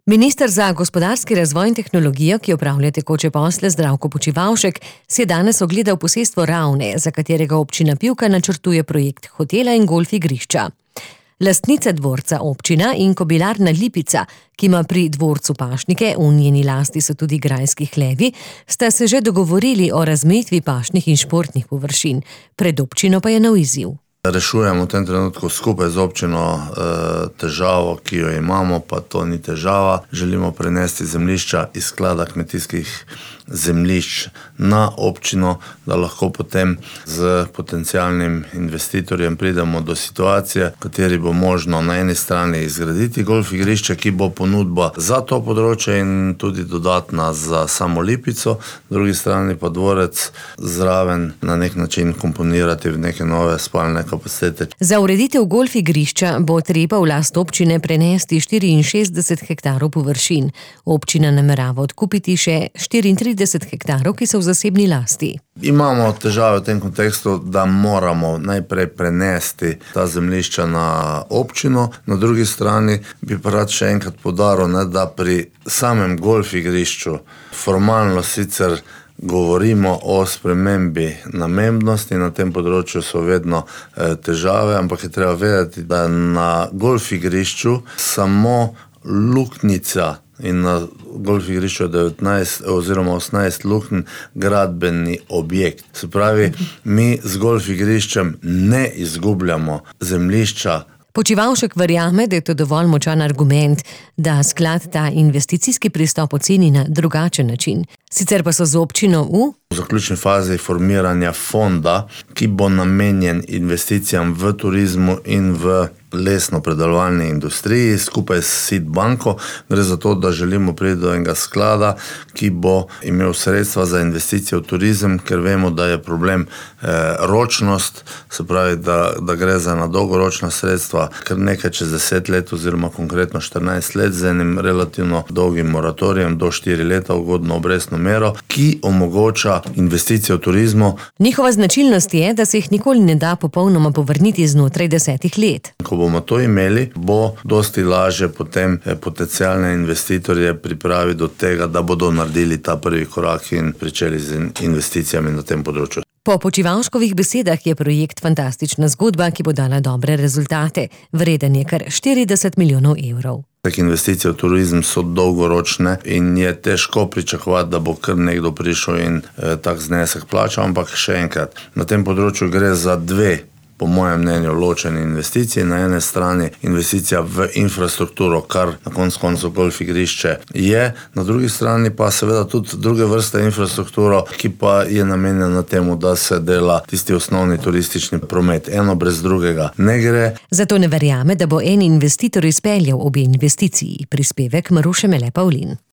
Minister za gospodarski razvoj in tehnologijo, ki opravlja tekoče posle, Zdravko Počivalšek, si je danes ogledal posestvo Ravne, za katerega občina Pivka načrtuje projekt hotela in golf igrišča. Lastnica dvorca občina in kobilarna Lipica, ki ima pri dvorcu pašnike, v njeni lasti so tudi grajski hlevi, sta se že dogovorili o razmejitvi pašnih in športnih površin. Pred občino pa je nov izziv. Rešujemo v tem trenutku skupaj z občino težavo, ki jo imamo, pa to ni težava. Želimo prenesti zemljišča iz sklada kmetijskih zemljišč na občino, da lahko potem z potencialnim investitorjem pridemo do situacije, v kateri bo možno na eni strani izgraditi golf igrišče, ki bo ponudba za to področje in tudi dodatna za samo Lipico, na drugi strani pa dvorec zraven na nek način komponirati v neke nove spalne kapacitete. Za ureditev golf igrišča bo treba v last občine prenesti 64 hektarov površin. Občina namerava odkupiti še 34 hektarov, ki so v zasebni lasti. Imamo težave v tem kontekstu, da moramo najprej prenesti ta zemljišča na občino. Na drugi strani bi pa rad še enkrat poudaril, da pri samem golf igrišču formalno sicer govorimo o spremembi namembnosti, na tem področju so vedno težave, ampak je treba vedeti, da na golf igrišču samo luknjica in na golf igrišču 19 oziroma 18 luknj gradbeni objekt. Se pravi, mi z golf igriščem ne izgubljamo zemljišča. Počivalšek verjame, da je to dovolj močan argument, da sklad ta investicijski pristop oceni na drugačen način. Sicer pa so z občino v zaključni fazi formiranja fonda, ki bo namenjen investicijam v turizmu in v lesno-predelovalni industriji skupaj s SID banko. Gre za to, da želimo priti do enega sklada, ki bo imel sredstva za investicije v turizem, ker vemo, da je problem ročnost, se pravi, da gre za na dolgoročna sredstva, ker nekaj čez 10 let oziroma konkretno 14 let z enim relativno dolgim moratorijem do 4 leta ugodno obrestno mero, ki omogoča investicije v turizmu. Njihova značilnost je, da se jih nikoli ne da popolnoma povrniti znotraj 10 let. Ko bomo to imeli, bo dosti lažje potem potencialne investitorje pripraviti do tega, da bodo naredili ta prvi korak in pričeli z investicijami na tem področju. Po Počivalškovih besedah je projekt fantastična zgodba, ki bo dala dobre rezultate. Vreden je kar 40 milijonov evrov. Investicije v turizem so dolgoročne in je težko pričakovati, da bo kar nekdo prišel in tak znesek plačal, ampak še enkrat, na tem področju gre za dve, po mojem mnenju, ločene investicije. Na ene strani investicija v infrastrukturo, kar na koncu golf igrišče je, na drugi strani pa seveda tudi druge vrste infrastrukturo, ki pa je namenjena temu, da se dela tisti osnovni turistični promet. Eno brez drugega ne gre. Zato ne verjame, da bo en investitor izpeljal obe investiciji. Prispevek Maruše Mele Pavlin.